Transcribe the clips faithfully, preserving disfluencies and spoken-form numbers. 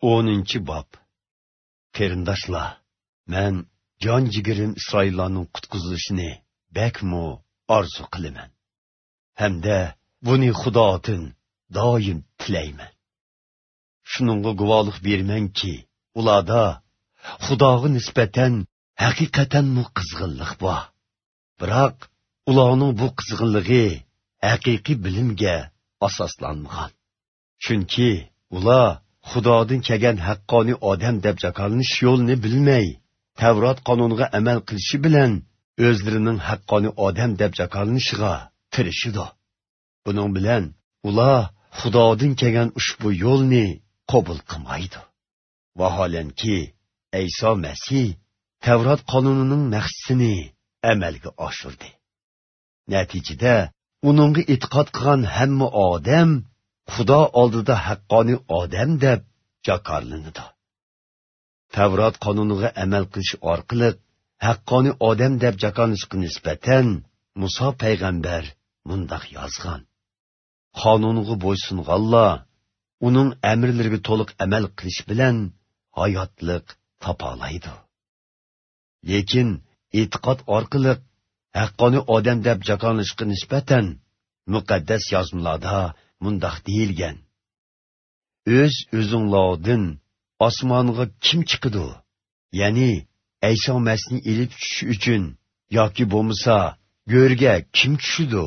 O'ninchi bob. Qarindoshlar, men jon jigirim Isroillarning qutqizilishini bakmu orzu qilaman. Hamda buni Xudodan doim tilayman. Shuningga guvohlik bermanki, ularda Xudoga nisbatan haqiqatanmi qizg'inlik bor. Biroq ularning bu qizg'inligi haqiqiy bilimga asoslanmagan. Chunki ular Xudodan kelgan haqqoniy odam deb jakolanish yo'lini bilmay, Tavrat qonuniga amal qilishi bilan o'zlarining haqqoniy odam deb jakolanishiga tirishidi. Buning bilan ular Xudodan kelgan ushbu yo'lni qabul qilmaydi. Vaholanki, Ayso Masih Tavrat qonunining maqsadini amalga oshirdi. Natijada uningga e'tiqod qilgan hamma odam Xudo oldida haqqoniy odam deb jakorlanadi. Tavrat qonuniga amal qilish orqali haqqoniy odam deb jakorlanishga nisbatan Musa payg'ambar mundoq yozgan: Qonunga bo'ysunganlar uning amrlariga to'liq amal qilish bilan hayotliq topa oladi. Lekin e'tiqod orqali haqqoniy odam deb jakorlanishga nisbatan muqaddas yozmalarda mundoq deyilgan: O'z o'zinglardan osmonga kim chiqidi? Ya'ni Ayso Masihni elib tushish uchun yoki bo'lmasa go'rga kim tushidi?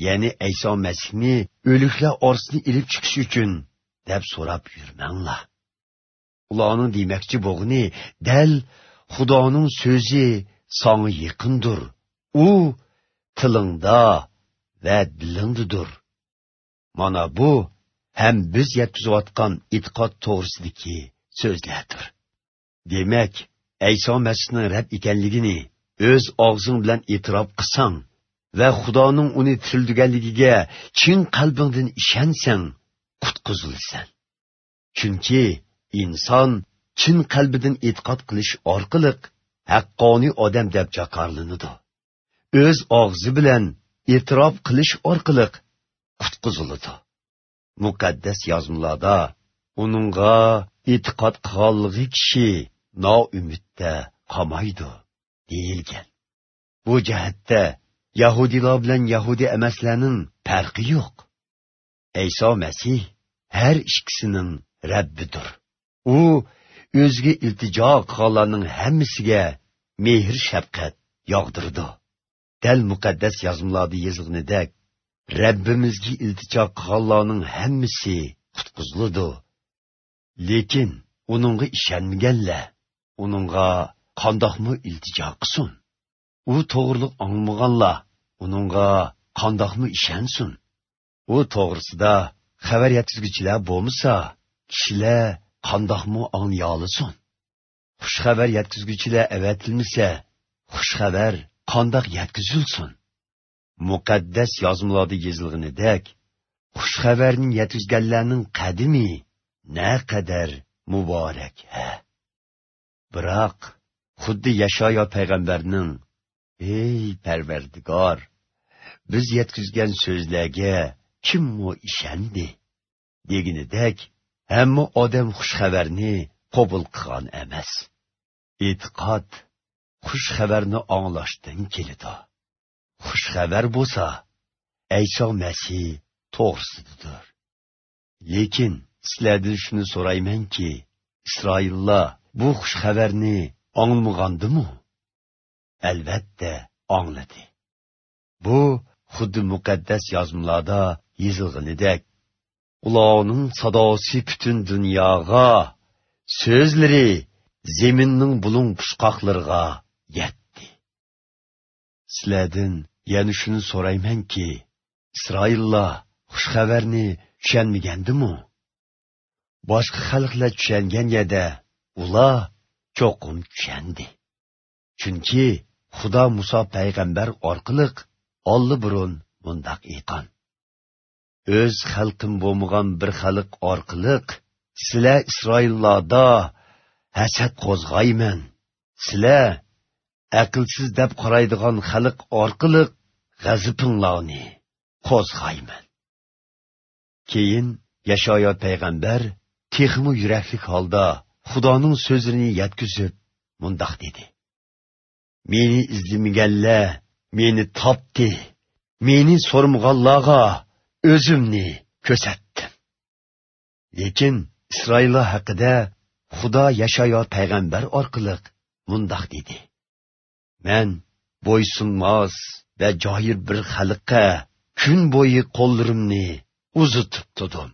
Ya'ni Ayso Masihni o'liklar orasini elib chiqish uchun deb so'rab yurmanglar. Ularning demakchi bo'g'ini dal Xudoning so'zi sanga yaqindir. U tilingda va dilingdadir. Mana bu ham biz yetkazayotgan e'tiqod to'g'risidagi so'zlardir. Demak, Ayso Masihning Rab ekanligini o'z og'zing bilan e'tirof qilsang va Xudoning uni tirildirganligiga chin qalbingdan ishonsang, qutqizilsan. Chunki inson chin qalbidan e'tiqod qilish orqali haqqoniy odam deb jakorlanadi. O'z og'zi bilan e'tirof qilish orqali qutqiziladi. Muqaddas yozmalarda uningga e'tiqod qilganligi kishi noumidda qolmaydi deyilgan. Bu jihatda yahudiylar bilan yahudi emaslarning farqi yo'q. Ayso Masih har ikkisining Rabbidir. U o'ziga iltijo qilganlarning hammasiga mehr shafqat yog'dirdi. Dal muqaddas yozmalarda yozilganidek, Rabbimizga iltijo qilganlarning hammasi qutqiziladi. Lekin uningga ishonmaganlar uningga qandoqmi iltijo qilsin? U to'g'riliq angmaganlar uningga qandoqmi ishonsin? U to'g'risida xabar yetkazuvchilar bo'lmasa, kishilar qandoqmi anglay olsin? Xush xabar yetkazuvchilar avatilmasa, xush xabar qandoq yetkazilsin? Muqaddas yozmalarda yozilganidek, xush xabarni yetkazganlarning qadimi naqadar muborak ha. Biroq xuddi Yashayo payg'ambarning: "Ey Parvardigor, biz yetkazgan so'zlarga kimmi ishondi?" deganidek, hamma odam xush xabarni qabul qilgan emas. E'tiqod xush xabarni anglashdan keladi. Xush xabar bo'lsa, Ayso Masih to'g'risidir. Lekin sizlardan shuni so'raymanki, Isroillar bu xush xabarni anglamaganmi? Albatta angladi. Bu xuddi muqaddas yozmalarda yozilganidek, ularning sadosi butun dunyoga, so'zlari zeminning bulung pushqoqlariga yetdi. Sizlardan yana shuni so'raymanki, Isroillar xush xabarni tushunmagandimi? Boshqa xalqlar tushungan yerda ular cho'qim tushundi. Chunki Xudo Musa payg'ambar orqali olli burun mundoq aytgan: O'z xalqim bo'lmagan bir xalq orqali sizlar Isroillarda hasad qo'zg'ayman. Sizlar aqlsiz deb qaraydigan xalq orqali g'azabinglarni qo'zg'ayman. Keyin Yashayo payg'ambar texmi yuraklik holda Xudoning so'zini yetkazib mundoq dedi: Meni izlamaganlar meni topdi, meni so'rmaganlarga o'zimni ko'rsatdim. Lekin Isroillar haqida Xudo Yashayo payg'ambar orqali mundoq dedi: Men bo'ysunmas va joyir bir xalqqa kun bo'yi qo'llarimni uzatib tudim.